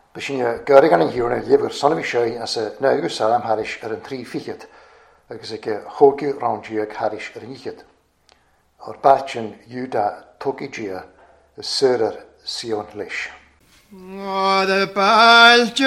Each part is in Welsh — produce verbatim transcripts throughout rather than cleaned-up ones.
B'shin gurgan an hiúna libh sonmhí seo as a náú salam tharis ar an trí fichiad, agus ag chógiú roundíag tharis ar an ichiad. Ar bachin Iúda tógaidía is suirar Sion leis. The Baltic.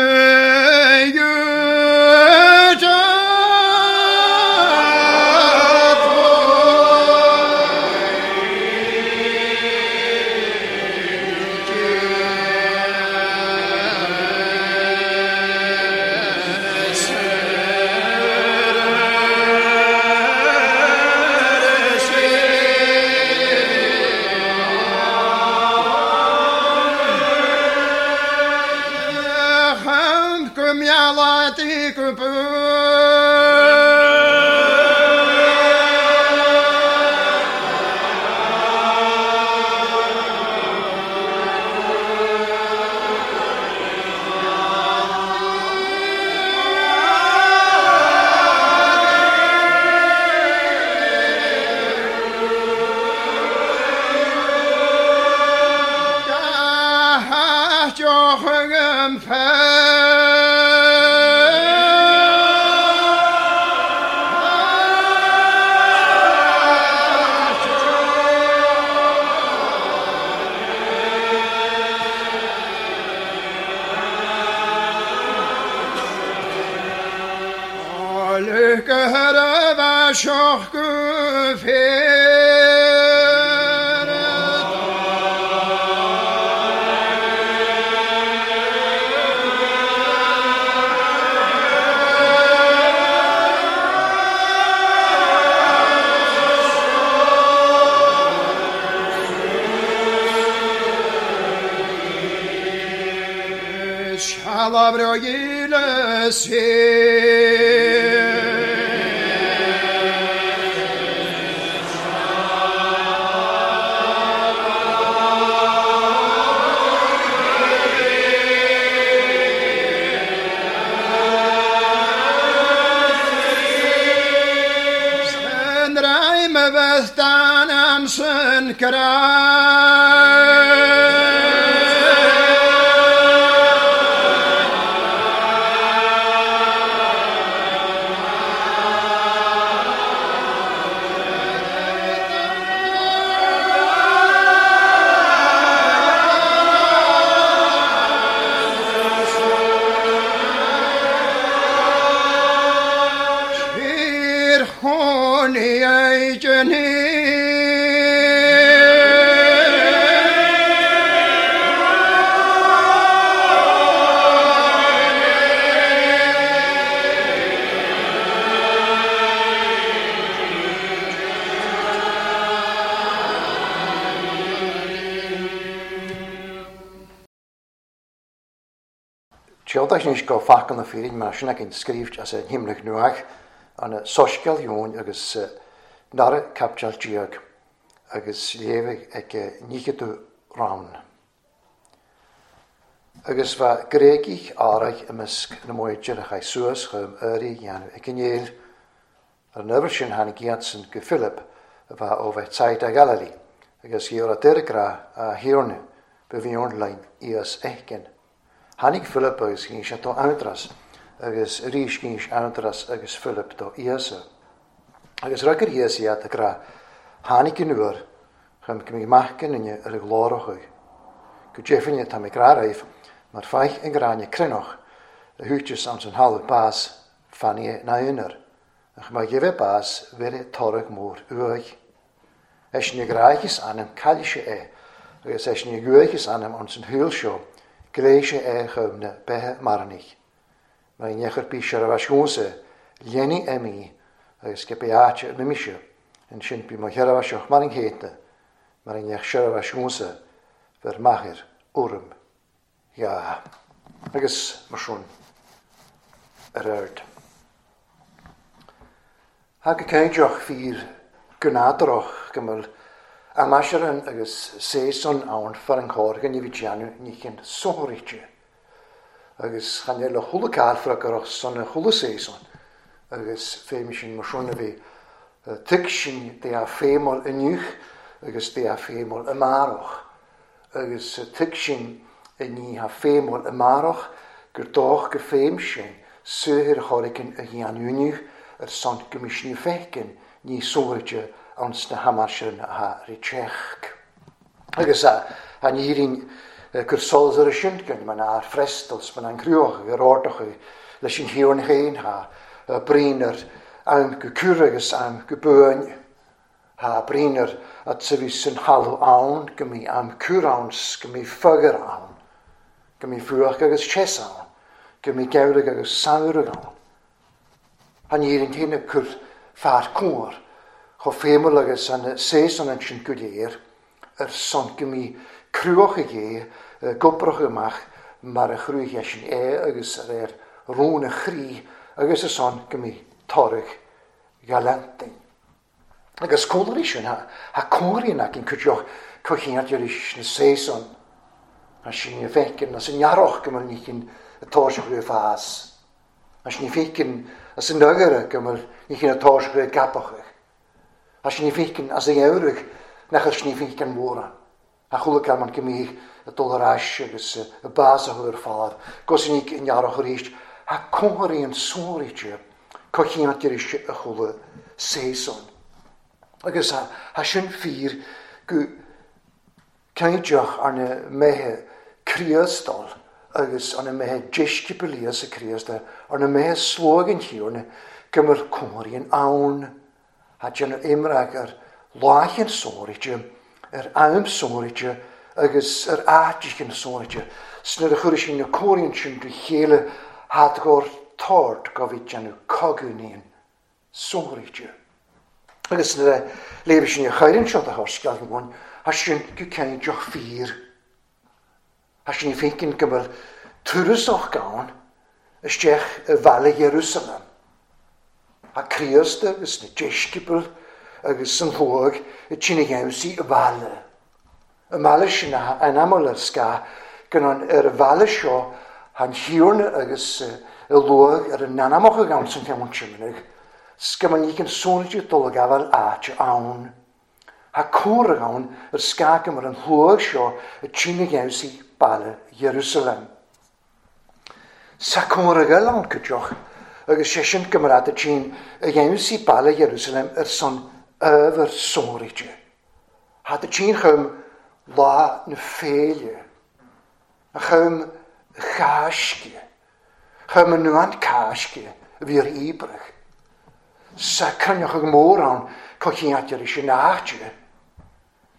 Teodaisnis go facan na féirin mar sin ag scríft as an himlech nuach an soisceal dheoin agus nara capteal díag agus léamh ag nícheadú rán. Agus bha gréigich áraich imeasc na móidir a chaith suas chum uirí dhéanamh ag an Ar an uair sin tháinig iadsan go Philip a bheith ó bheith tsaid a Galilee agus gheobhaidh deirgrá a thiarna ba bhíonn lein íos éicin. Tháinig Philip agus ghin sé do Andras, agus arís ghin Andras agus Philip do Íosa. Agus rugar Íosa iad a grá, tháinig an uair, chum go mbeidh mac an duine ar a ghlórachaidh. Go deimhin tá mé grá raibh, mar feich an gráinne cruinneach, a thuiteas ans an thalamh bás, fannaí na aonar, ach má gheibh bás, bheir toradh mór uaidh. Eis na gráichis ainm cailise é, agus eis na guaichis ainm ans an shúil seo, Gléise é chum na beithe maranaich. Mar i nechar bí sé a bheith léanaí emí agus go beáte mimise, an sin bí mo chearbh mar an chéadna, mar i nech sé a bheith bhur machair urm. Ja, agus mar sin ar aird. Thá go céideach fíor gnádarach go bhfuil aimsearan agus séasún ann far an chóir ní bhí déanamh ní chin sóirite. Agus chan le chuile calfra go raibh san a chuile séasún. Agus féim sin mar sin a bhí tuig sin de a féimeáil inniu agus de a féimeáil amárach. Agus tuig sin Ní ha féimhil amárach gur dóch go féim sin saothair chorcain a dhéanúnú ar son go misniú feiceann ní sóirte ans na hamarsin a riteach. Agus an iarrainn gur solas ar sin gan man ar frestels man an cruach ar ordach leis an hiorn féin ha brín ar am go cur agus am go buain ha brín ar at sa bhí san halú ann go mí am cur ann go mí fugger ann go mí fuach agus chess ann go mí geirg agus saurag ann. Han iarrainn féin cur fear cóir chomh féimhil agus an séasúr an sin go léir ar son go mí cruach é gobrach amach mar a chrúigh sin é agus ar ar rún a chrí agus ar son go mí toradh galantain. Agus cónaí sin ha cóiríonn ac an cuideoch cochiantar is na séasúr a sin ní feiceann as an earrach go bhfuil ní chin atáiseach le fás. A sin ní feiceann as an nagaire go bhfuil ní chin atáiseach le gapach. A sin ní feiceann as an eabhraidh nach ar sin ní feiceann mhóra. A chuala man go mí a dul ar ais agus a bás a chur fád, gos ní in earrach arís, ha cóiríonn sóiríte cochiantar is a chuala séasúr. Agus ha sin fíor go caideach arna méithe Críostal agus arna méithe deisceabail sa Críosta arna méithe slógan thiarna go mbeadh cóiríonn ann ha déanamh imreach ar láicheann sóiríte ar am sóiríte agus ar áiteann sóiríte. Sna a chuir sin na cóiríonn sin do chéile had gur tord go bhí déanamh coganíonn sóiríte. Agus na léibh sin a chaireann seo a thoscail amháin, ha sin go caideach fíor. Ha sin fécinn go bhfuil tuarasach gann isteach i bhaile Jerusalem. Ha Críosta agus na deisceabail agus an shlóg i tine gheimsí i bhaile. I mbaile sin an amal ar sca gan an ar a bhaile seo han thiarna agus i luag ar an nanamach a gann san ceann simanach. Scaman ní can sónide dul a gabháil áite ann. Ha córa ann ar scácam ar an shlóg seo i tine gheimsí baile Jerusalem. Sa córa gael ann cuideoch agus sé sin go mar a tine a gheimsí baile Jerusalem ar son ábhar sóiríte. Ha de tine chum lá na féile, a chum chaisce, chum an nuan caisce a bhí ar íbrach. Sa cruinneach ag mórán cochiantar is an áite.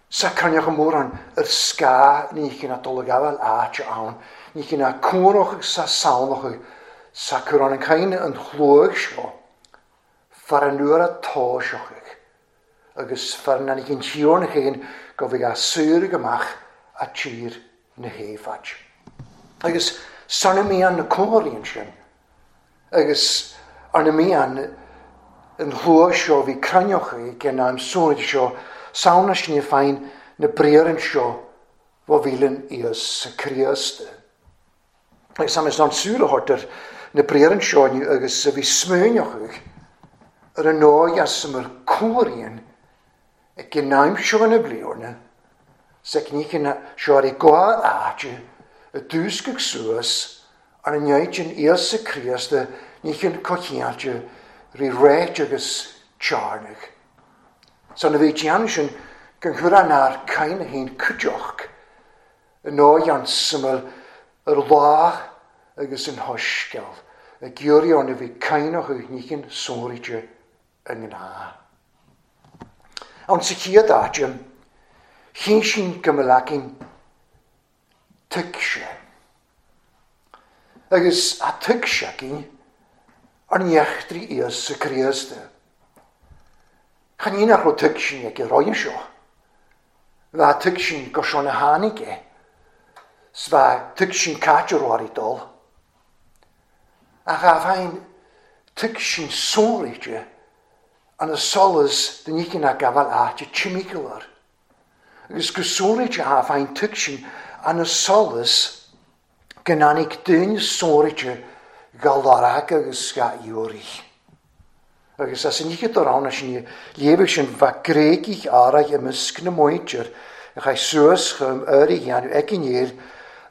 Sa cruinneach ag mórán ar sca ní chin a dul a gabháil áite ann, ní chin a cónach sa samhlach sa chur an caine an chlóg seo, far an uair a táiseach agus far an chin tíorna chéin go bhí a saoradh amach a tír na héifead. Agus sanna mí an na cóiríonn sin, agus arna mí an an shlóg seo bhí cruinneach ag an am sóiríte seo, samhna sin féin na bréireann seo bha bhíleann Íosa Críosta. Agus sam is an súil a thabhairt ar na bréireann seo inniu agus a bhí smaoineach ar an nóigh as mar cóiríonn ag an am seo na bliana, sa cníchin seo ar i gá áite a dúscaigh suas ar an neidin Íosa Críosta níchin cochiáilte rí réit agus tearnach. Sa na bhí déanamh sin gan chur an ár cain a haon cuideoch i nóigh an suimil ar lá agus an thoscail a ghiorraí ann a bhí cainach ag níchin sóiríte i ngnáth. Ann sa chéad áite, chinn sin go mba leacain tuigse. Agus a tuigse cinn ar neachtraí Íosa Críosta. Chan ní nach raibh tuigsin ag an roinn seo. Bha tuigsin go seo na tháinig é. 's bha tuigsin caite roirí dul. Ach a bheinn tuigsin sóiríte an a solas de níchin a gabháil áite timícealar. Agus go sóiríte a bheinn tuigsin an a solas go n-áinig duine sóiríte ga lorg agus ga iúraí. Agus as an níche do rán sin léibh sin bha gréigich áraigh i measc na muintir a chaith suas chum uirí dhéanamh ag an éir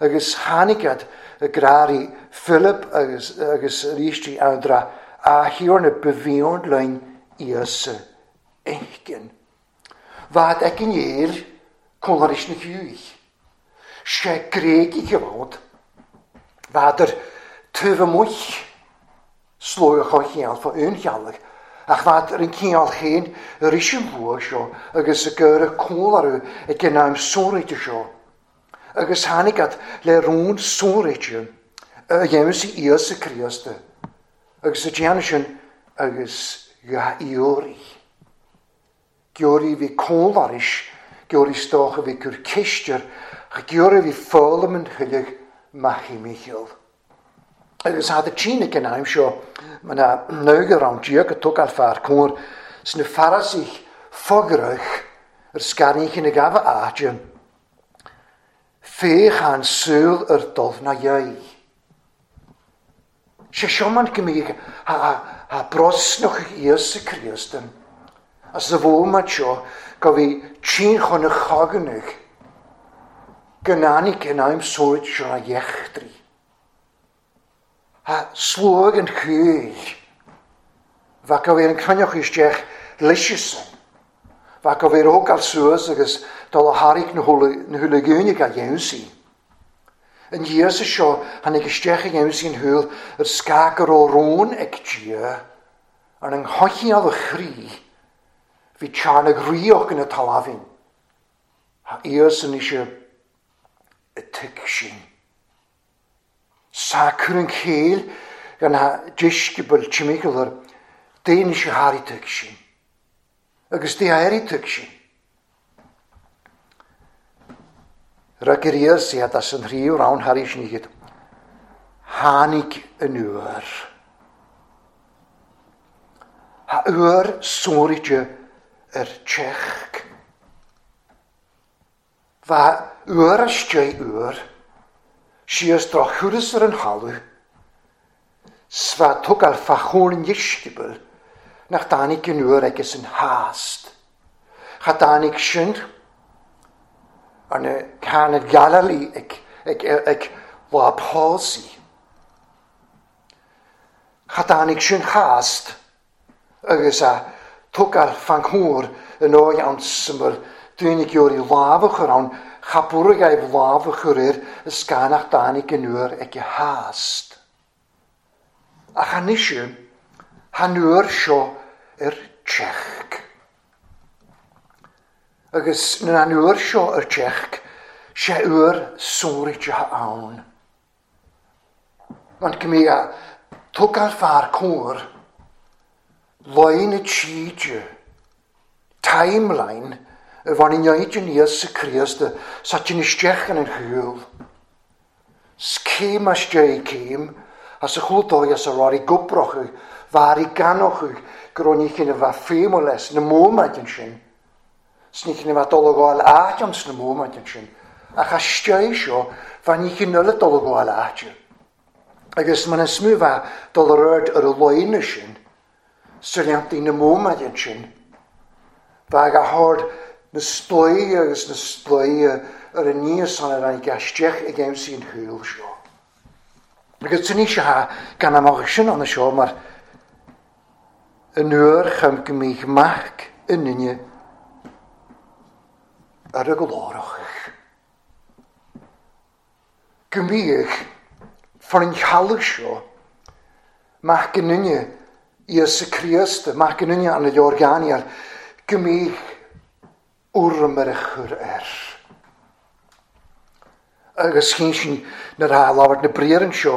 Agus tháinig iad i gcráirí Philip agus agus arís andra a thiarna ba mhian linn Íosa a fheiscint. Bheadh ag an éil cónaris na hiúich. Sé Gréigigh a bhfad. Bheadar taobh amuigh slógadh chun chiall fá aon cheallach, ach bheadh ar an cineál féin arís an luath seo agus a gcur a cúl orthu ag an am sonraithe seo. Agus tháinig iad le rún sonraithe a dhéanamh Íosa Críosta, agus a déanamh sin agus dhá iarraidh. Georaí bhí cúl arís, georaí stoch a bhí cur ceist air, ach georaí bhí foghlaim an thuilleadh maith Mícheál. Agus had a tine ag an am seo, mana naugar an diag a tógáil fear cóir sna Farasaigh fograch ar scairníchin na gabha áite. Féach an súil ar dul na dheidh. Sé seo man go mbíodh ha brosnach Íosa Críost as a bhómat seo go bhí tinn chun a choganach go nánig in am sóid seo na dheachtraí. Ha slóg an chuil. Bheadh go bhí an cruinneach isteach leis-sean. Bheadh go bhí rógáil suas agus dul a thairg na húlagúine a dhéansaí. An Íosa seo tháinig isteach a dhéansaí an húil ar scáth go raibh rón ag Dia ar an choicheall a chroí bhí tearnadh ríoch ina talamhain. Ha Íosa anois i tigh sin. Sa cur an chéill gan ha deisceabail timpeall air daoine se thairg tigh sin. Agus dé éirigh tigh sin. Rug ar Íosa iad as an thríú rann thar sin iad. Tháinig an uair. Ha uair sonraithe ar teach. Bha uair istigh uair, síos droch thuras ar an thalamh, 's bha tógáil fá chóir an deisceabail nach dtáinig an uair agus an hást. Cha dtáinig sin ar na Cana Galilee ag, ag, ag lá pósaí. Cha dtáinig sin hást agus a tógáil fan chóir in áit an syml daoine geoirí lámh a chur ann, cha bhfuair agaibh lámh a chur air is gan nach dtáinig an uair ag a hást. Ach anois han uair seo ar teach. Agus na an uair seo ar teach, sé uair sonraithe ann. Want go mbíodh a tógáil fear cóir, loin na tíde, timeline, a bhain in áit an Íosa Críosta sa tin isteach in an chúl. 'S céim as dé céim, as a chúltóigh as a ráirí goprochadh, bhairí ganochadh go raibh ní chin a bheith féimheach leis na móiméid ansin. 'S ní chin a bheith dul a ghabháil áit ann sna móiméid ansin. Ach as dé seo, bheith ní chin eile dul a ghabháil áite. Agus man is mó bheith dul ar aird ar a loine sin, sa leantaí na móiméid ansin, bheith a hard na sploí agus na sploí ar an níos san ar an gaisteach ag aimsí an chúl seo. Agus tún sé ha gan amach sin an seo mar an uair chum go mbíodh mac i nduine ar a glórach. Go mbíodh for an chealach seo mac i nduine Íosa Críosta, mac i nduine an leorgánial, go mbíodh urraim ar a chur air. Agus chinn sin nuair a labhairt na briathra seo,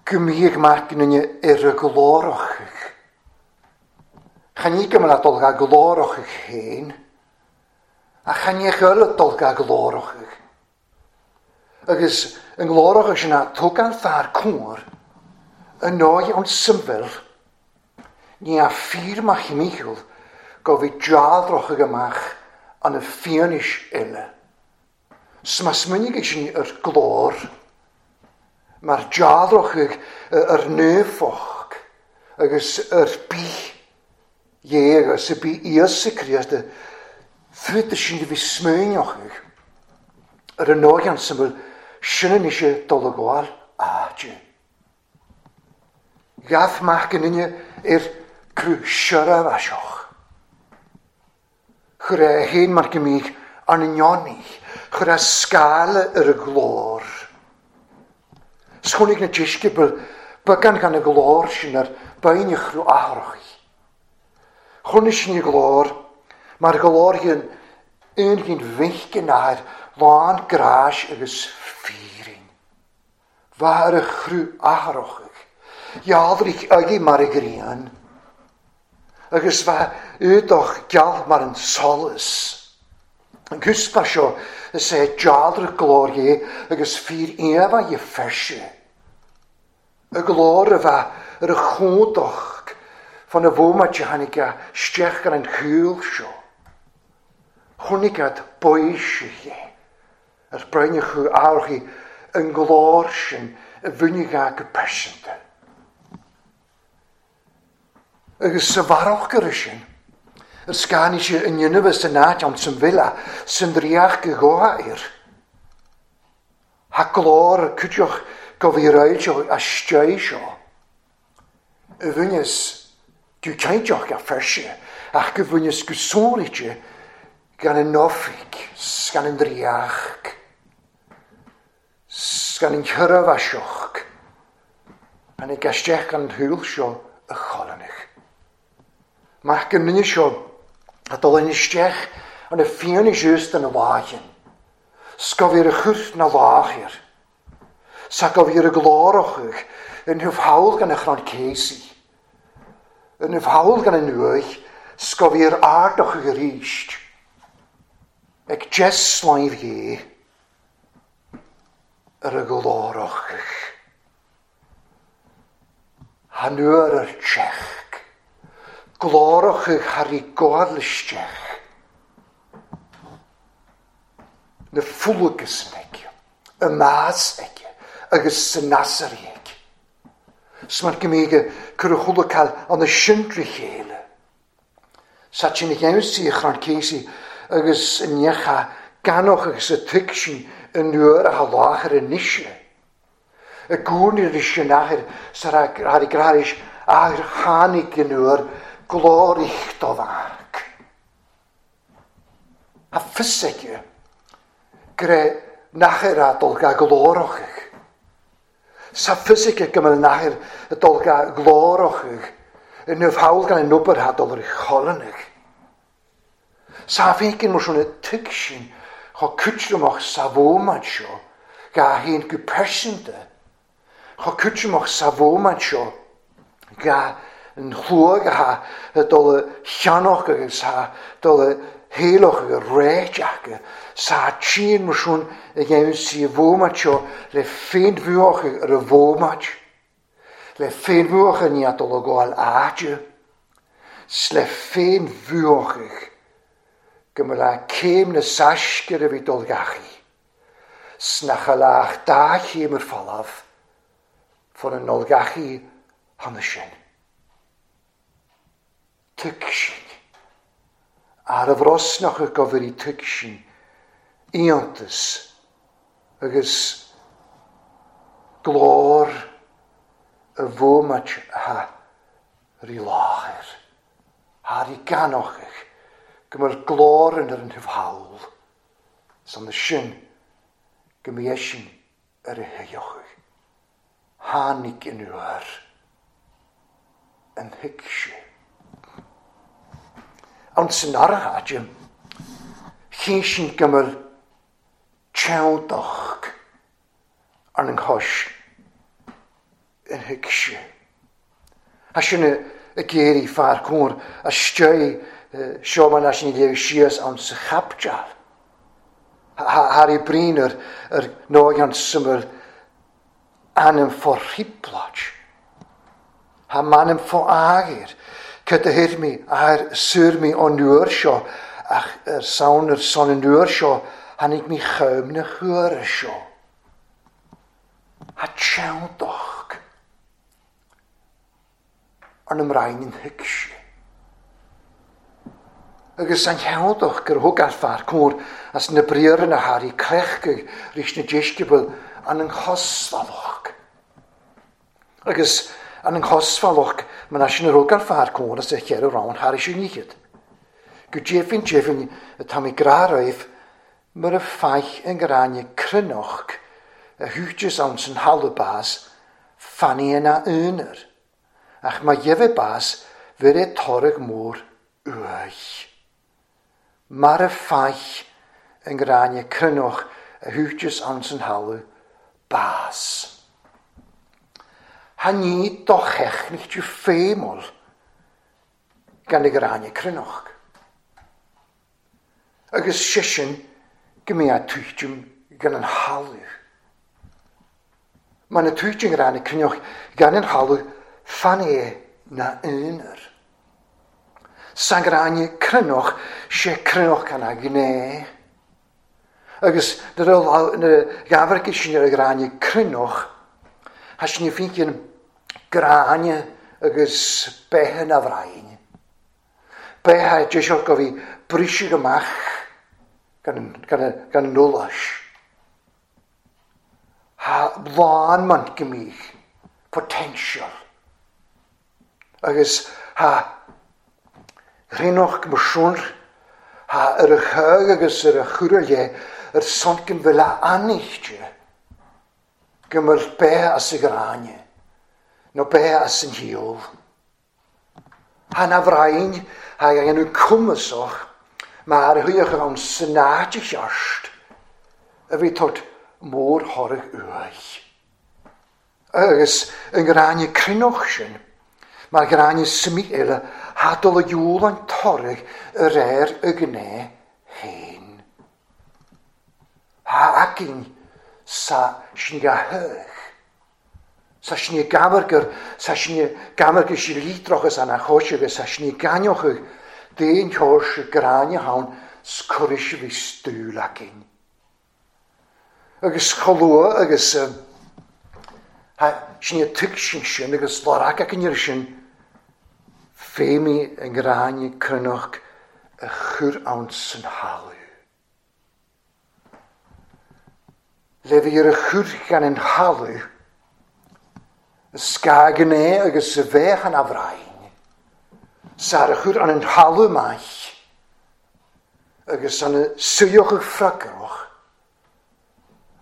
go mbíodh mac i nduine ar a glórach. Chan ní go mbeadh dul ga glórach féin, ach chan ní chuile dul ga glórach. Agus an glórach sin a tógáil fear cóir, an nóigh an symfil, ní a fíor mac Mícheál go bhí dealrach amach an a fianaise eile. 'S má smaoinigh sin ar glór, mar dealrach ar naofoch agus ar bith Dhé agus a bí Íosa Críosta, frúta sin a bhí smaoineach ar an nóigh an syml Sin anois dul a gabháil áite. Ghabh mac an duine ar cruth seirbhíseach. Chuir é féin mar go mbíodh arna ndeonaí, chuir é scála ar a ghlór. 'S chonaic na deisceabail beagán gan a ghlór sin ar bheinn a chruth athrach. Chonaic sin a ghlór mar ghlór an aon mhic an athair lán gráis agus fírinne. Bheith ar a chruth athrach, dhealraigh agaibh mar a ghrian, agus bheith éadach geal mar an solas. An cuspa seo is é dealramh glór Dhé agus fíor íomhá dhe pheirse. A glór a bheith ar a chumhdach fan na bhomaite a tháinig isteach ar an chúl seo. Chonaic iad baoisithe ar broinn a chú áirthí an glór sin a bhainfeadh go pearsanta. Agus sa bharrach ar sin, ar scannaigh sé an dhéanamh san áit ann san bhile, san draíocht go ghabha air. Tha glór ar cuideach go bhí ráiteach istigh seo. A bhaineas go cinnteach go pheirse, ach go bhaineas go sonraithe gan an oifig, gan an draíocht, gan an sheirbhíseach, tháinig isteach an shúil seo a cholanach. Mac an duine seo a dul isteach an na fianna just an láighean, 's go bhí ar a chur na láthair, sa go bhí ar a glórach in hubh haul gan a chrann céasaí, in hubh haul gan an uaigh, 's go bhí ar ardach arís, ag deis láimh Dhé ar a glórach. Han uair ar teach, glórach thar i gcomhairle isteach. Na fulagas aige, y mas aige, agus sa nasar aige. 'S mar go mbíodh cur a chulacail an na sintrí chéile. Sa sin a gheimhsí a chrann céasaí agus a neacha ganach agus a tuig sin an uair a láthair anois. A gcúrnaí leis an athair sa thar i gcráis athair tháinig an uair glórich do mhac. A fios aige go raibh nathair a dul ga glórach. Sa fios aige go mbeadh nathair a dul ga glórach in hubh haul gan an obair a dul ar cholanach. Sa fécinn mar sin a tuig sin chomh cuidreamach sa bhómant seo ga haon go pearsanta, chomh cuidreamach sa bhómant seo ga an chlúag a ha dul a cheannach agus ha dul a héalach agus réiteach sa tríon mar sin a dhéanamh sí a bhómant seo le féinbhuach ar a bhómant, le féinbhuach ní a dul a gabháil áite, 's le féinbhuach go mba le céim na saiscear a bhí dul gachaí, 's nach a leach dá chéim ar falamh fan an dul gachaí cheana sin. Tuig sin. Ar a bhrosnach a gobhairí tuig sin, iontas agus glór a bhómait a rí láthair, thar i ganochach go mbeadh glór in ar an hubh haul, san na sin go mbeadh sin ar a thuilleochadh. Tháinig an uair an thuig sé. An san artháide, chinn sin go mbeadh teanntach ar an chois an thuig sé. A sin a géirí fear cóir a stei seo mar leis an léamh síos ann sa chapteal. Thar i brín ar ar nóigh an sumar ainm fó thriplait. Tha m'ainm fó ágir. Cad a thuir mé ar suir mé an uair seo ach ar saon ar son an uair seo tháinig mé chum na huaire seo. Tha teanntach ar na mbrainn an thuig sé. Agus an cheanntach gur thug an fear cóir as na briathra na hairí cleachtaidh ris na deisceabail an an chosmhalach. Agus an an chosmhalach man sin a rug ar fear córas a cheithre rann thar is níchid. Go deimhin deimhin atá mé grá roimh mar a feich an gráinne cruinneach a thuiteas ann san thalamh bás fannaí ina aonar, ach má gheibhe bás bheir é toradh mór uaidh. Mar a feich an gráinne cruinneach a thuiteas ann san thalamh bás. Ha ní do chechnicht fémol gan y gráinne cruinneach. Agus sé sin go mbeidh a tuitim gan an thalamh. Mar na tuitim gráinne cruinneach gan an thalamh fan é na aonar. San gráinne cruinneach sé cruinneach gan a ghné. Agus nuair a ghabharcaigh sin ar a gráinne cruinneach, ha sin fincin gráinne agus beithe na bhrainn. Beithe deisiúr go bhí briseadh amach gan, gan, gan an eolais. Ha lán man go mbíodh potential. Agus ha rinnoch go ha ar a chug agus ar a churaile ar sonkin bhfuil a anichte go mbeadh beithe as y gráinne, nó beithe as an hiol. Ha na bhrainn, ha dhéanamh cumasach, mar a thuíoch ann sanáide cheart, a bhí tot mór thoradh uaidh. Agus an gráinne cruinneach sin, mar gráinne suimí eile, ha dul a dhiúl an toradh a réir a ghné féin. Ha againn sa sin ga thuch. Sa sin gamargur, sa sin gamargur si lítrochas an a chois agus sa sin ganeoch d'aon chois gráinne ann scuris bhí stúil againn. Agus cholua agus ha sin tuig sin sin agus lorach againn ar sin féimí an gráinne cruinneach a chur ann san thalamh. Le bhí ar a chur gan an thalamh, a scagan é agus a bheith an abhrainn, sar a chur an an thalamh maith, agus an suíoch freagrach,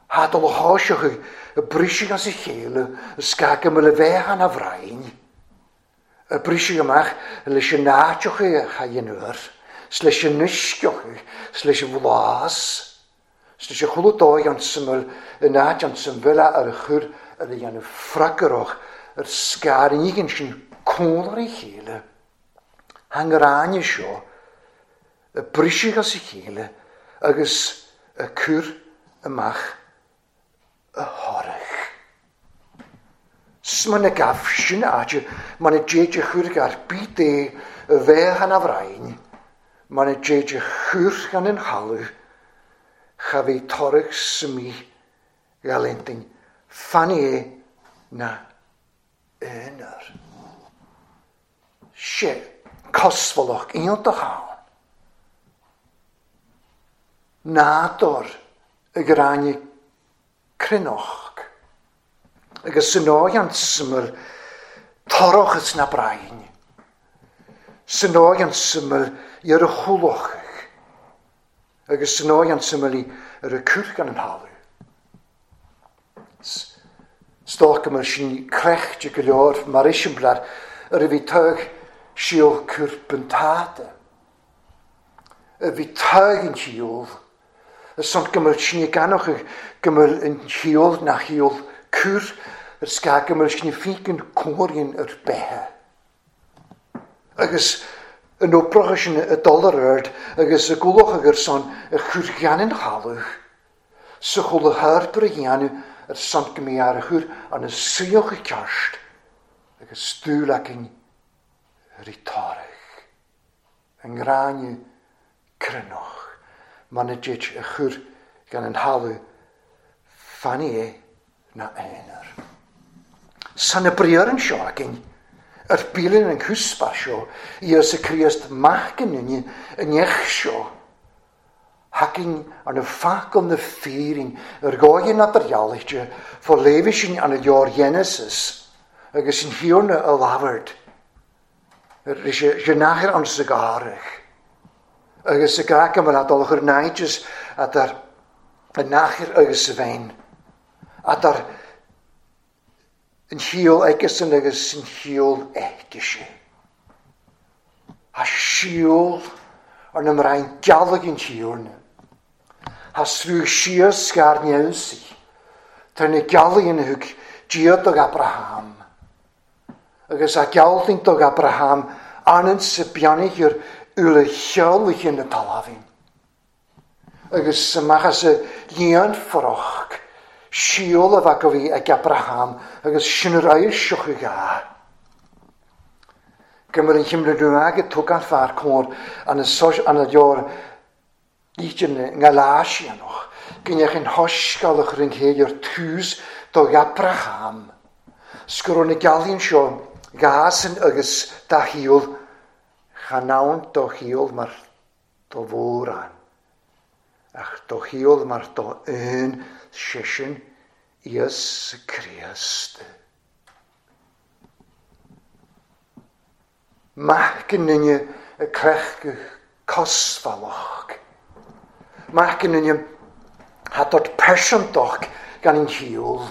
ha dul a tháiseach a briseadh as a chéile, a scagan le bheith an abhrainn, a briseadh amach leis an áiteach a chaidhéanúir, s leis an uisceach, s leis an bhlás, s leis an chuile dóigh an syml, yn áit an symfila ar a chur ar a dhéanamh freagrach ar scar an ígin sin cónair a chéile. Han gráinne seo a briseadh as a chéile agus a cur amach a thoradh. S man na gaf sin áite, man na déid a chur gar bít é a bheith an abhrainn, man na déid a chur gan an thalamh, cha bhí toradh suimí galintin fan é na aonar. Sé cosmhalach iontach ann. Nádúr y gráinne cruinneach. Agus san óig an syml torrochas na brain. San óig an syml ar a chulach. Agus san óig an syml ar a cur gan an thalamh. Stóch mar sin crechte go leor mar isimplar ar a bhí tuig síol cur buntáta. A bhí tuig an síol. A son go mbeadh sin ganoch go mbeadh an síol na síol cur ar sca go mbeadh sin fícin cóirín ar beithe. Agus an oprach sin a dul ar ard agus a gulach agur son a chur gan an thalamh. Sa chula tharbr a dhéanamh ar son go mbeidh ar a chur an a suíoch a ceart agus stúil againn ar i toradh. An gráinne cruinneach man a déid a chur gan an thalamh fan é na aonar. San na briar an seo againn, ar bílinn an cúspa seo, Íosa Críost mac an duine an neach seo, Hacking an y ffacol na ffyrin, yr goen at yr ialiche, fo lefisin an y dior Genesis, agus yn hiwrna y lafard. Yr eisiau an sygarach. Agus y grac am yr adolch yr naidys at yr y nachir agus y fein. At yr yn hiol egesyn agus yn hiol egesy. A siol ar na mrain galag yn hiwrna. Ha srwg sios sgar niawsi. Tar na galag yn hwg diod og Abraham. Agus a galding dog Abraham anant sy bianig yw'r yw'r lleolig yn y talafin. Agus ymach y lian ffroch, siol y fagofi ag Abraham, agus sy'n yr ail sioch y ga. Gymr yn chymryd rhywag y twgan ffa'r cwr an y sos an y dior lítyn ngaláisianoch, gynnech yn hosgalwch rhwng yw'r tŵs dog Abraham. Sgwrwn y galun sio gas yn agus da hiol, chanawn do hiol mar do fóran. Ach do hiol mar do un sesiwn Iesu Christ. Mach yn y crech cosfaloch. Mach yn y hadod persontoch gan yn hiol.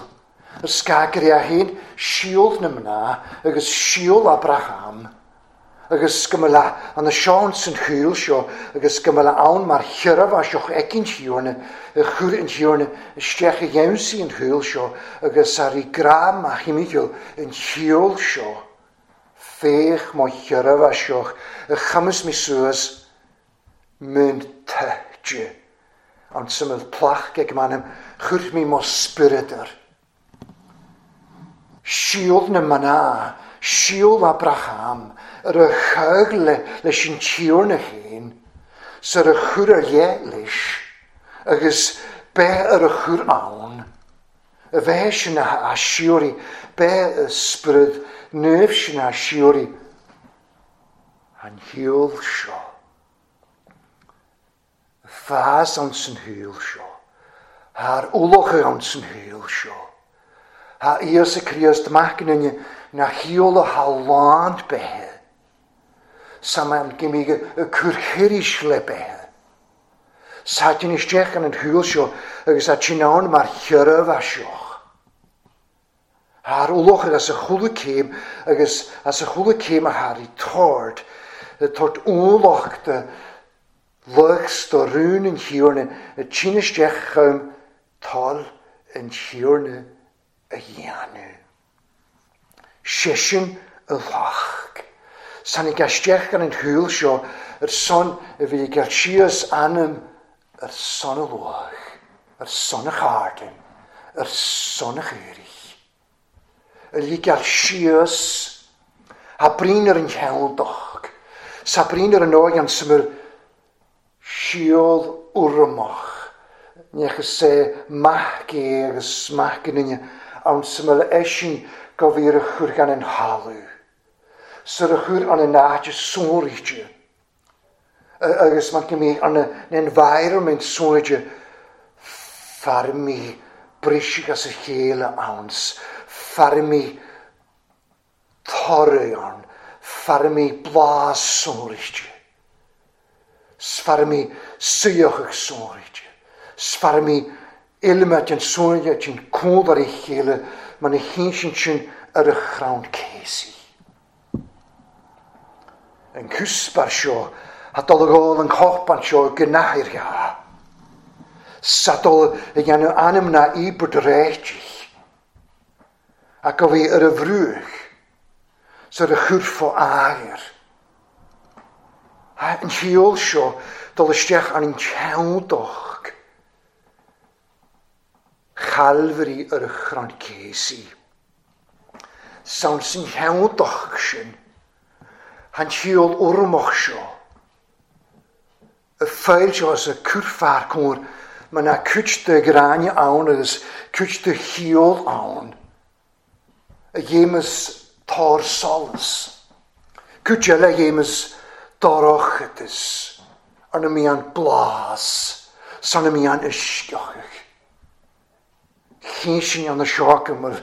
Y sgagri a hyn, siol na mna, agus siol Abraham, agus gymyla an y siawns yn hwyl sio, agus gymyla awn mae'r hiraf a sioch egin hiwrna, y chwr yn hiwrna, y stech y iawnsi yn hwyl sio, agus ar ei gram a chymigol yn hiwl sio. Fech mo hiraf a sioch, y chymys mi sŵas, mynd tydio. Ond symud plach geg manem, chwr mi mo spirydyr. Siol na mana, siol Abraham, yr y chag le, leis yn tiwr na hyn, sy'r y chwr ar ie leis, agus be yr y chwr awn, y fe sy'n a siwri, be y sbryd nef sy'n a siwri, an hiol sio. Y ffas ond sy'n hiol sio, a'r wloch ond sy'n hiol sio. Ha Iesu Christ machnine na hiol o haland behe. Saman gymig y cwrchirish le behe. Sa dyn ysdech yn hwyl sio, agus a tinawn mae'r hiraf a sioch. A'r wloch agus y chwlw cym, agus as y chwlw cym a har i tord, y tord wloch dy lygs do rŵn yn hiwrne, y tîn ysdech ym tol yn hiwrne y ianw. Sesiwn y loch. Sa'n i gastech gan yn hwyl sio, yr son y fi gael sios anam yr son y loch, yr son y chardyn, yr son y chyrich. Y li gael sios a brin yr yn hewldoch, sa brin yr yn oed gan symud siol wrmoch, nech y se mach e agus mach yn unia, awn syml eisiau gofir y chwr gan yn halw. Syr y chwr an y naid y sôrige. Agus mae'n gymryd an y environment sôrige farmi brisig as y chéile awns, farmi torri an, farmi blas sôrige. Sfarmi syioch ag sôrige. Sfarmi ilma yn sôrige yn cwld ar ei chéile, mae'n ei hyn sy'n ar y chrawn cesi. Yn cwsbar sio, a dol ôl yn copan sio gynnau'r ia. Sadol y ganw anam na i bwdretig. Ac o fi yr y frwch, sy'r y chwrffo air. A yn hiol sio, dol ysdech an yn ciawdoch. Chalfri yr ychron cesi. Sawn sy'n hiawdoch sy'n. Han hiol wrmoch sio. Y ffael sio as y cwrffa'r cwr, mae na cwtch dy grania awn agus cwtch dy hiol awn. Y gêmys tor solus. Cwtch ele gêmys dorochydys. Arna mi an blas. san a mian isceochach. Chin sin an seo go mar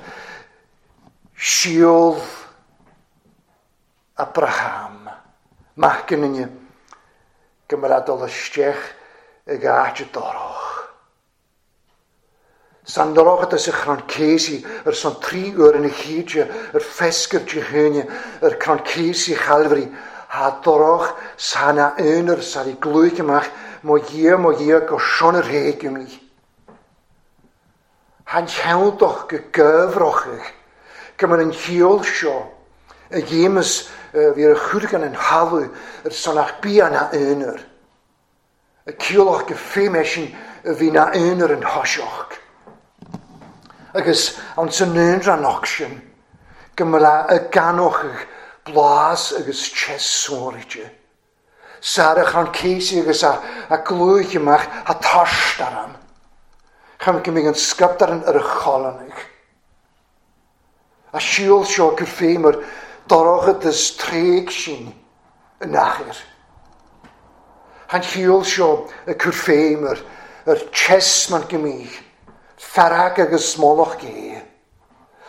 síol Abraham, mac an duine, go mar a dul isteach ag áit dorach. San dorachas a chrann céisi ar son trí uair ina chéide ar fescar de chuine ar crann céisi Chalvarí ha dorach san a aonar sar i glúich amach mo Dhia mo Dhia go seonar héigeamí. Han cheanntach go gabhrochach go mar an chiall seo a ghéamas bhí ar churgan an thalamh ar son ach bí an a aonar. A ciallach go féimesin a bhí na aonar an thoiseach. Agus an san aonrannach sin go mba a ganochach blas agus tes sóirte. Sar a chrann céisi agus a, a glúich amach a taistearam. Cham go mbeidh an scaiptearan ar a cholanach. A siúl seo go féimar dorachas tréig sin yn achair. Han siúl seo y cur féimar ar tes man gymig, farag agus smolach gé,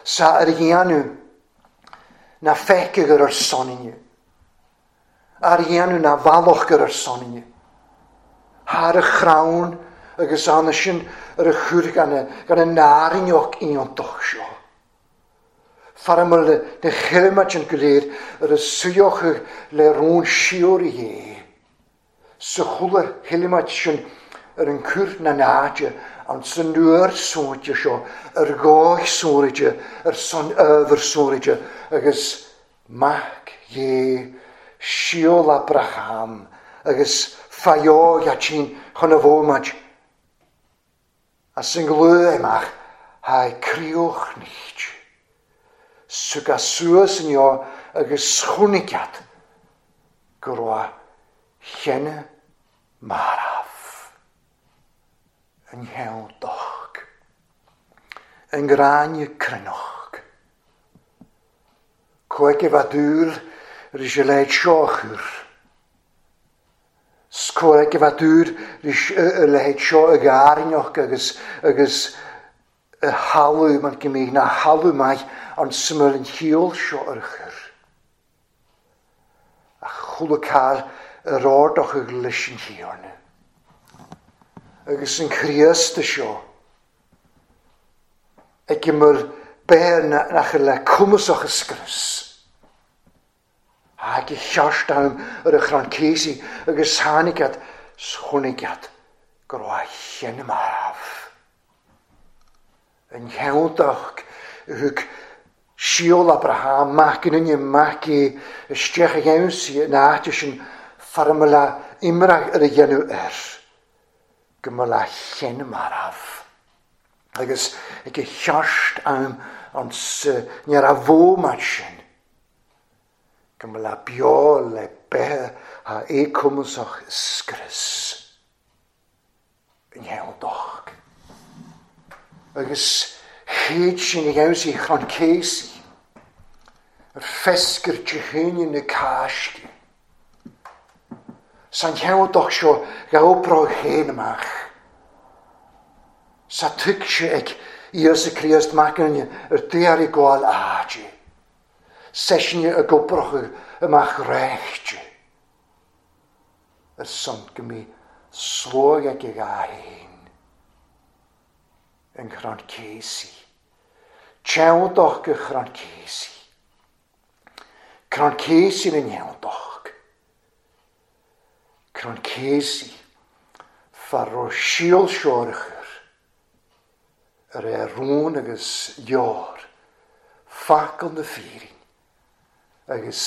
sa ar dhéanamh na feiceadh ar soninne, ar dhéanamh na bhallach ar soninne, thar a chrann agus anna sin ar a chur gan a nárinneach iontach seo. Faramar na chilmat an go léir ar a suíochadh le rón siúr é. Sa chula chilmat sin ar an cur na náide an san nuair sóinte seo ar gáich sóiride ar son ábhar sóiride agus mac dhé síol Abraham agus faióg a tsin chun a bhómaid as an glú amach ha críoch nicht. Sug a suas yn io agus chwnigiad go raibh chenne maraf yn cheanntach, yn gráinne cruinneach. Cuaige bhadúr ris a leid seo chur. Scuaige bhadúr ris a leid seo ag árinneach agus agus a halú man go mbeidh na halú maith an sumar an chiall seo ar chur. A chula cael yr ordach ag leis an chiarna. Agus an Chríost seo ag gymryd beir nach le cumasach ysgrys. Ag i cheart am ar y chrann céisi agus tháinig schwnigiad go raibh chenne maraf. Yn cheanntach thug síol Abraham mac yn uine mac é isteach a gheansaí in áit sin farmala imreach ar a dhéanamh air. Go mba le chenne maraf. Agus ag i cheart am an ní a bhómat sin. Go mba le beo le beithe ha écumasach scrios. Yn cheanntach. Agus chéad sin a gheansaí chrann céisi ar fescar de chuine na cáisce. San cheanntach seo ghabh chéin amach. Sa tuig sé ag Íosa Críost mac an ar daoir i gcáil áide. Seisinne a gobrochadh amach réichte. Ar son go mbeidh slóg ag a dhá fhéin. Yn chrann céisi. Teanntach go chrann céisi. Crann céisi na neanntach. Crann céisi far ó síol seo ar chur. Ar é rún agus leor facal na fírin agus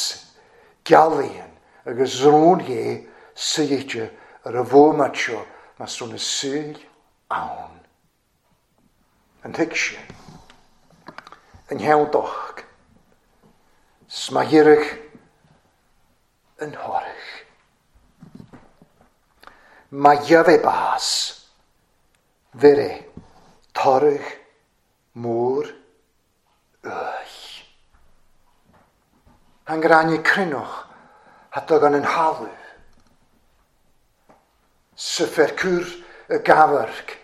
gealaíonn agus rún dhé suíte ar a bhómat seo mas rún na súil ann. An thuig sé, an cheanntach, smaghireach an thorach. Ma gheibh bás, bhire toradh mór uaidh. An gráinne cruinneach a tugann an thalamh. Sa fer cur y gafarg,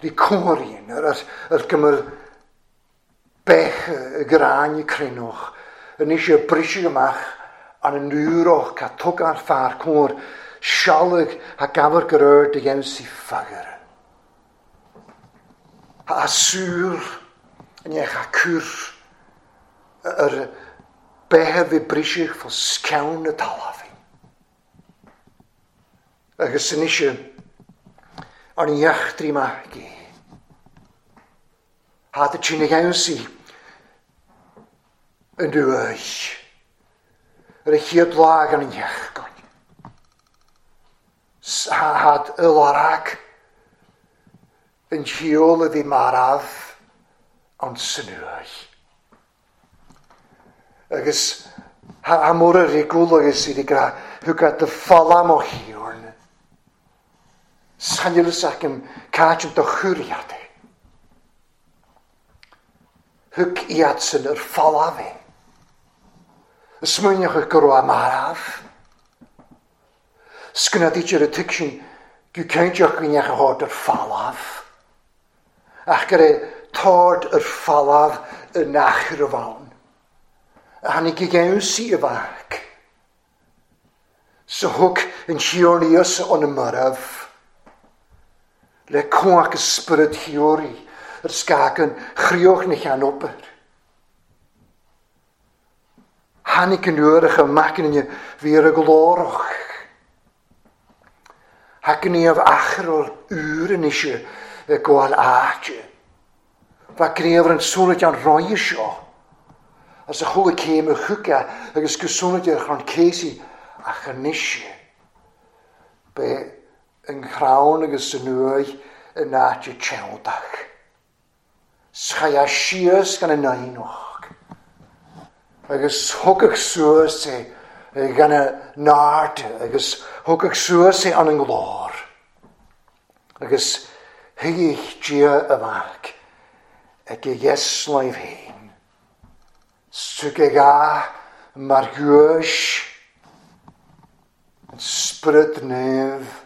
ri cwrin, yr, yr, yr gymryd bech y graen y crenwch, yn eisiau brisio ymach an yn nŵroch ca tug ar ffar cwr, sialyg a gafarg yr yrd y gemsi ffagar. A sŵr yn eich a cwr yr behe fi brisio ffo scawn y talafi. Agus yn eisiau an iach ma gi. Had y tîn ag si yn dwy. Yr eich lag an iach gan. Had y larag yn hiol y fi maraf ond synwy. Agus ha mor yr igwl agus i gra hwgad y ffalam o hiwrn. Sanilus ac yn cael do chwriadau. Hwg iad sy'n yr ffalafi. Ysmwynioch y gwrw am araf. Sgynna di'r y tygsyn gw ceintiwch gwyniach y hod yr ffalaf. Ach gyda tord yr ffalaf yn achr y fawn. A hynny gygewn si y fach. So hwg yn hiornius o'n ymyraf. Le cwach ysbryd hiori, yr sgag yn chriwch ni chan ober. Hanig yn yw'r ymach yn fi ar y gloroch. Ac yn i af achr o'r ŵr yn eisiau y gwael aach. Fa grefr yn swnod iawn roi isio. As y chwle cem y chwga agus gyswnod i'r chron ceisi ac yn eisiau. Be yng nghrawn agus yn nwy yn aach y cewdach. Schaia sias gan y nainoch. Agus hwgach suas e gan y nard, agus hwgach suas e an yng nglor. Agus hygich dia y fach, ag y ieslaif hyn. Sug ag a mar gwys, yn sbryd nef,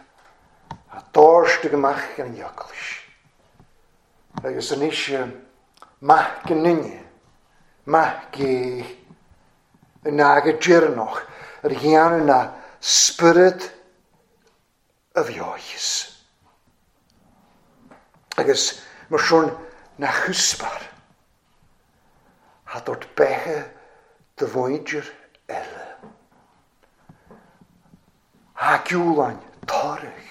a dorst ag ymach gan ioglis. Agus yn eisiau mach yn unig, mach i yn ag y dyrnoch, yr hian yna sbryd y fioes. Agus mae siwn na chwsbar, a dod beche dy fwydr ele. A giwlain torach.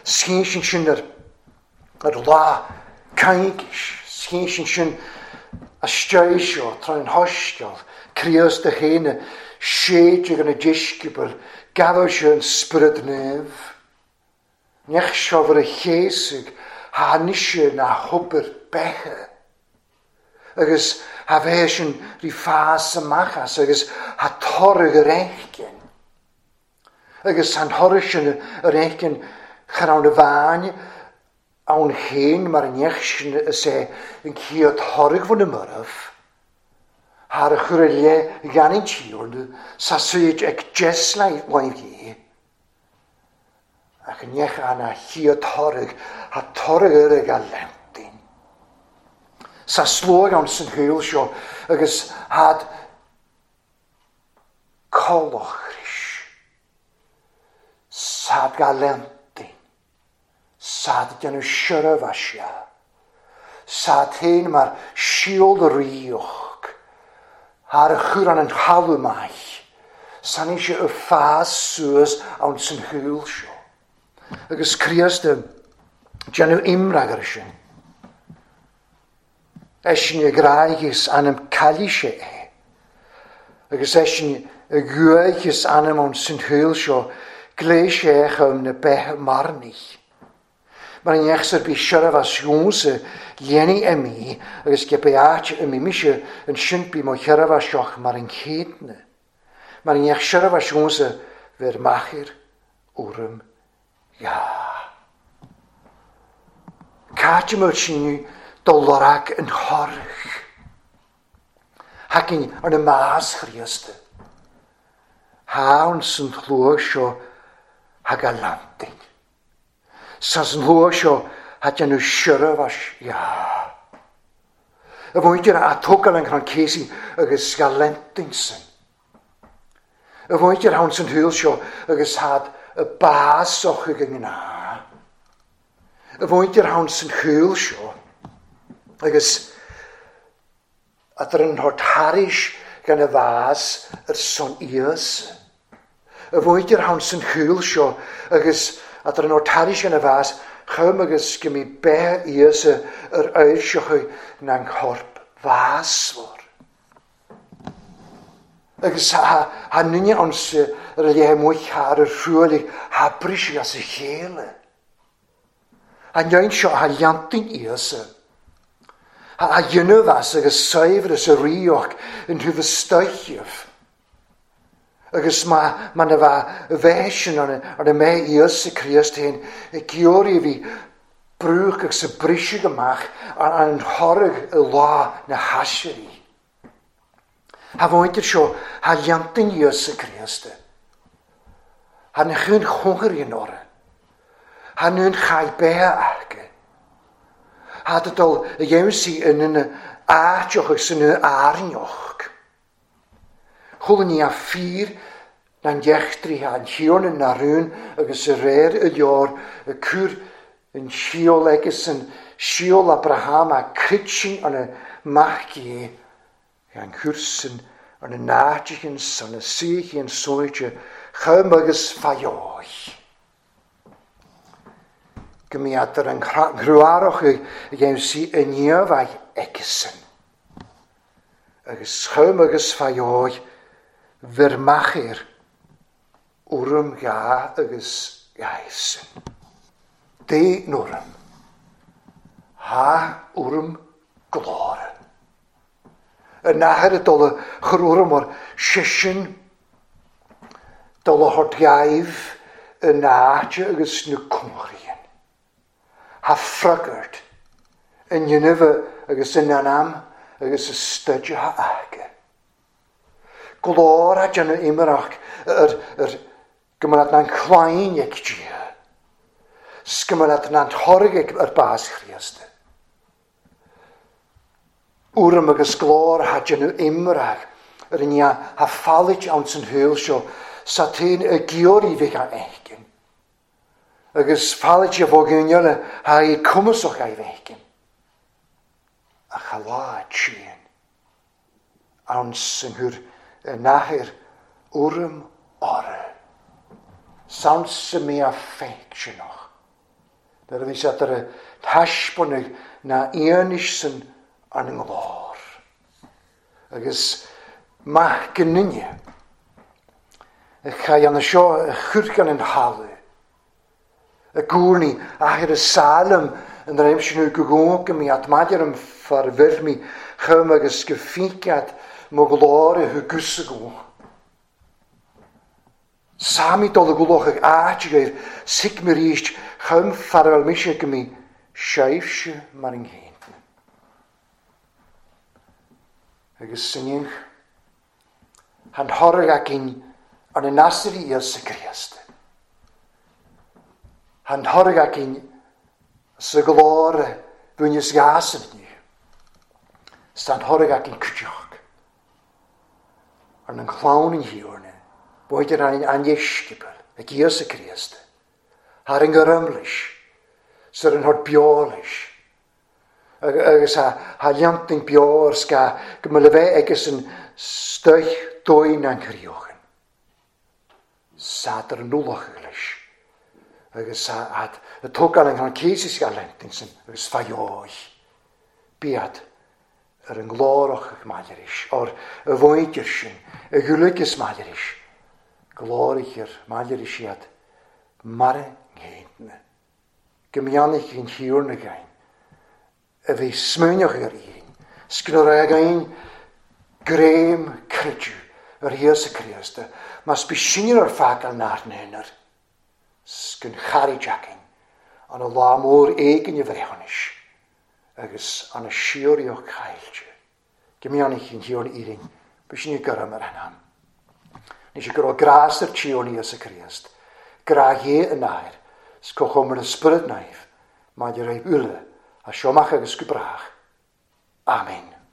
Sgyn sy'n sy'n yr, yr la caigis, sgyn sy'n sy'n asteisio tra'n hostiol, crios dy hyn y siedig yn y disgybl, gafo sy'n sbryd nef. Nech siofr y llesig, ha nisio na hwbr beche. Agus ha fe sy'n rhi ffas ymachas, agus ha torrig yr echgyn. Agus han horys yn yr echgyn chrawn y fan, awn hyn mae'r nech sy'n y se yn cyd horrig fwn y myraf. Har y chwreliau gan ein tiwrn, sa syd ag jeslau waith i. Ac yn nech anna hyd horrig, ha torrig yr ag a lentyn. Sa slwag awn sy'n hwyl sio, agus had colochris. Sad galentyn. Sad dyn nhw siaraf asia. Sad hyn mae'r siol rioch. Ar y chwran yn halw maich. Sa'n eisiau y ffas sŵs awn sy'n hwyl sio. Agus crias dy dyn nhw imrag ar ysyn. Eisiau y graigis anam calisio e. Agus eisiau y gwaigis anam o'n sy'n hwyl sio gleis eich am na beth marnich. Mae'n iechs ar bys siaraf as ywnsy leni emi agus gebeat ym imisio yn synbi mo siaraf as sioch mar yn cydna. Mae'n iech siaraf as ywnsy fer machir wrym ia. Caetym o'r sy'n dolarag yn horch. Hacin yn y mas chriast. Hawn sy'n chlwag sio hag a landin. Sas an lua seo ha déanamh siormhais ya. A mhuintir a tógáil an chrann céasaí agus ga lentin sin. A mhuintir ann san shúil seo agus had a bás och ag an gná. A mhuintir ann san shúil seo agus a an thort thairis gan a bhás ar son Íosa. A mhuintir ann san shúil seo agus a an thort thairis gan a bhás chum agus go mí beith Íosa ar oirseochaidh na an chorp bhásmhar. Agus ha nunne ons ar a léithe muich ar ar thruailligh ha briseadh as a chéile. An nein seo ha leantain Íosa. Ha dhéanamh as agus saibhreas a ríoch in thuibh stoichibh. Agus má má na bheith bheith sin ar ar a mbeith Íosa Críost féin i gceoirí a bhí brúch agus a briseadh amach ar an thoradh i lá na haisirí. Ha mhuintir seo ha leantain Íosa Críost. Ha na chun chongair in orra. Ha nun chai beithe aige. Ha dul a dhéanamh in ina áiteoch agus ina airneoch. Chuala ní a fíor na dheachtraithe an thiarna na rún agus a réir i leor a cur an síol agus an síol Abraham a critsin an a mac é an chursan an a náiteachan san a suíochaí an sóite chum agus faioich. Go mbíodh ar an ghruarach a dhéanamh sí i ndiaidh aigesan. Agus chum agus faioich bhir machair urm ga agus gaisan. Dé norm. Ha urm glóra. An nathair a dul a chur urm ar sisin dul a thort gaibh an áite agus na cumhraíonn. Ha fragart in dhéanamh agus in anam agus a stuide ha aige. Glór a déanamh imearach ar ar go mbeadh an chláin ag Dia. 's go mbeadh an thoradh ar bás Chríost. Urm agus glór ha déanamh imearach ar an ha fáilt ann san shúil seo sa tain y giorí bheith a fheicin. Agus fáilt a bhógain ha i cumasach a bheicin. A chaláid sin ann san thuir y nathair urm orra. Sans mé a feicsinach. Nuair a bhí siad ar a taispeánaigh na aonis san an nglór. Agus maith go nunne a chaith an seo a churcan an haladh. A gcúrnaí athair a Salem an réimse go gcónca mí at maidir an far bhirmí chum agus go fícead mo ghlór a thugus go. Sami dul a gculoch ag áit gaibh sic me ríist chum farwell mise go mí seifse mar an ghéint. Agus sinneach han thoradh againn ar na nasairí Íosa Críost. Han thoradh againn sa ghlór bhuaineas gas inniu. Stan thoradh againn cuideach ar an chlann an thiarna. B'fhéidir an an dheisceabal ag Íosa Críost. Thar an gurumlis, sar an thort beolis. Agus ha leantain beo ar sca go mbeadh le bheith agus an stoich dóigh an chríochan. Sad ar an ualach leis. Agus a tógáil an céasaí a leantain sin agus faioich. Bíad ar an nglórach ag maidiris, ar a mhuintir sin, a ghualaigh maidiris. Glórichir maidiris iad mar a ngéintne. Go mbeannaigh an thiarna gain, a bhí smuineach ar éin, sgnar againn gréim creidiú ar Íosa Críost, mas bí sinne ar feadh an náir sgun charaid againn an a lá mór éigin a bhreithiúnais agus an a síoraíoch caillte. Go mbeannaigh an thiarna Éirinn, bí sinne gurm ar an am. Ní sé go raibh grás ar tíorna Íosa Críost, grá dhé an náir, 's comhchomair na Spiorad Naomh, maidir libh uile, as seo amach agus go brách. Amen.